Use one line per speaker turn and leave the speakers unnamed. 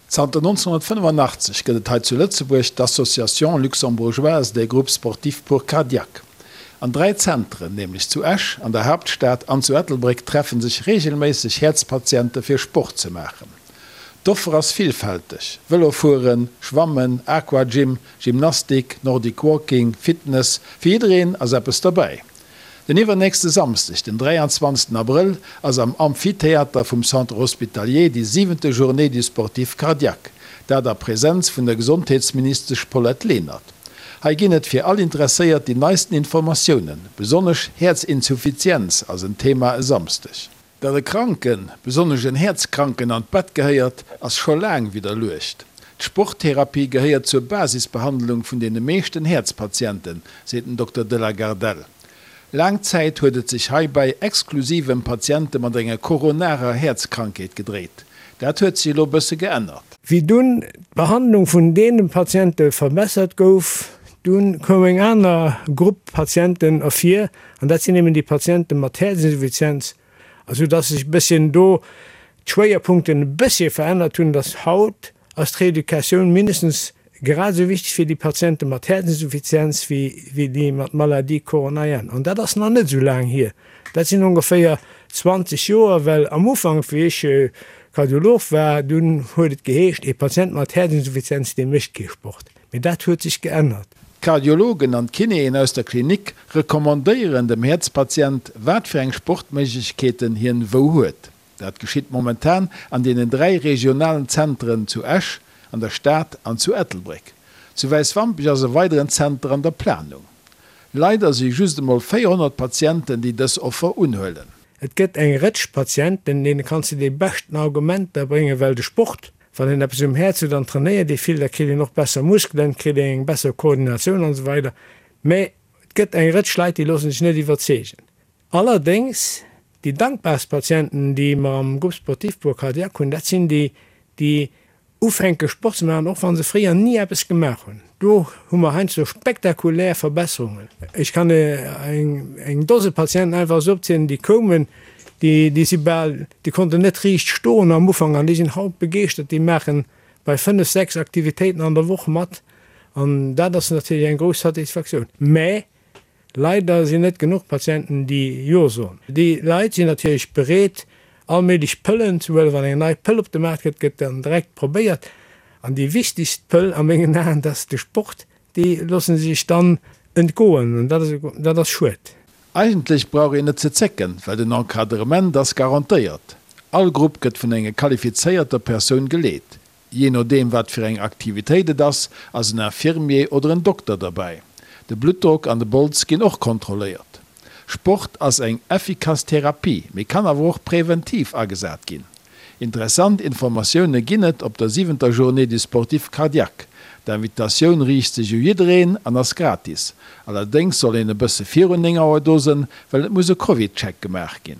Zanter 1985 gëtt et hei zu Lëtzebuerg d'Association luxembourgeoise des groupes sportifs pour cardiaques. An 3 Zentren, nämlech zu Esch, an der Haaptstad an zu Ettelbréck treffen sech reegelméisseg Häerzpatiente fir Sport ze maachen. D'Offer ass villfälteg, Vëlo fueren, Schwammen, Aquagym, Gymnastik, Nordic Walking, Fitness, fir jiddereen ass eppes derbäi. Den iwwernächste Samsdeg, den 23 Abrëll, ass am Amphitheater vum Centre Hospitalier déi siwente Journée du Sportif Cardiaque, dat a Präsenz vun der Gesondheetsministesch Paulette Lenert. Hei ginn et fir all Interesséiert déi neisten Informatiounen, besonnesch Häerzinsuffizienz ass en Thema e Samsdeg. Datt e Kranken, besonnesch en Häerzkranken an d'Bett gehéiert, ass scho laang widderluecht. D'Sporttherapie gehéiert zur Basisbehandlung vun deene meeschten Häerzpatienten, seet den Dokter de la Gardelle. Laang Zäit huet et sech heibäi exklusiv ëm Patiente mat enger koronarer Häerzkrankheet gedréit. Dat huet sech elo bësse geännert.
Wéi dunn d'Behandlung vun deene Patiente verbessert gouf, dunn koum eng aner Grupp Patienten ervir, an dat sinn eben déi Patiente mat Häerzinsuffizienz, esou dass sech e bësschen do d'Schwéierpunkten e bëssche verännert hunn, dass haut ass d'Reeducatioun mindestens grad esou wichteg fir déi Patiente mat Häerzinsuffizienz wéi déi mat Maladie coronarienne. An dat ass nach net esou laang hier, dat sinn ongeféier 20 Joer, well am Ufank, wéi ech Kardiolog war, dunn huet et geheescht, ee Patient mat Häerzinsuffizienz, dee mécht kee Sport. Mee dat huet sech geännert.
D'Kardiologen an d'Kinéen aus der Klinik recommandéieren dem Häerzpatient, wat fir eng Sportméiglechkeeten hien wou huet. Dat geschitt momentan an deenen 3 regionalen Zenteren zu Esch, an der Stad an zu Ettelbréck. Zu Wäiswampech ass e weideren Zenter an der Planung. Leider si just emol 400 Patienten, déi dës Offer unhuelen.
Et gëtt eng Rëtsch Patienten, deene kanns de déi beschten Argumenter bréngen, well de Sport, wann een eppes um Häerz huet an trainéiert ee vill, da kritt een och besser Muskelen, kritt een eng besser Koordinatioun an esou weider. Mä et gëtt eng Rëtsch Leit, déi loosse sech net iwwerzeegen. Allerdéngs, déi dankbarst Patienten, déi mer am Groupe sportif pour cardiaque hunn, dat sinn déi, déi ufänke Sport ze maachen, och wa se fréier ni eppes gemaach hunn. Do hu mer heiansdo spektakulär Verbesserungen. Ech kann eng Dose Patienten einfach esou opzielen, déi koumen, déi si bal, déi konnten net riicht stoen am Ufank an déi sinn haut begeeschtert, déi maache bei fënnef, sechs Aktivitéiten an der Woch mat an dat ass natierlech eng grouss Satisfaktioun. Mä Leider sinn net genuch Patienten, déi Jo soen. Déi Leit sinn natierlech bereet, all méiglech Pëllen ze huelen. Wann eng nei Pëll op de Maart kënnt, gëtt dann direkt probéiert. An déi wichtegst Pëll a mengen Aen, dat ass de Sport, déi loosse se sech dann entgoen. An dat ass, dat ass schued.
Eigentlech brauch een net ze zécken, well den Encadrement ass garantéiert. All Grupp gëtt vun enger qualifizéierter Persoun geleet. Jee nodeem wat fir eng Aktivitéit et ass, ass en Infirmier oder en Dokter derbäi. De Bluttdrock an de Bols ginn och kontrolléiert. Sport ass eng effikass Therapie, mee kann awer och präventiv agesat ginn. Interessant Informatioune ginn et op der siwenter Journée du Sportif Cardiaque. D'Invitatioun riicht sech u jiddereen an ass gratis. Allerdéngs soll een e bësse virun 9 Auer do sënn, well et muss e Covid-Check gemaach ginn.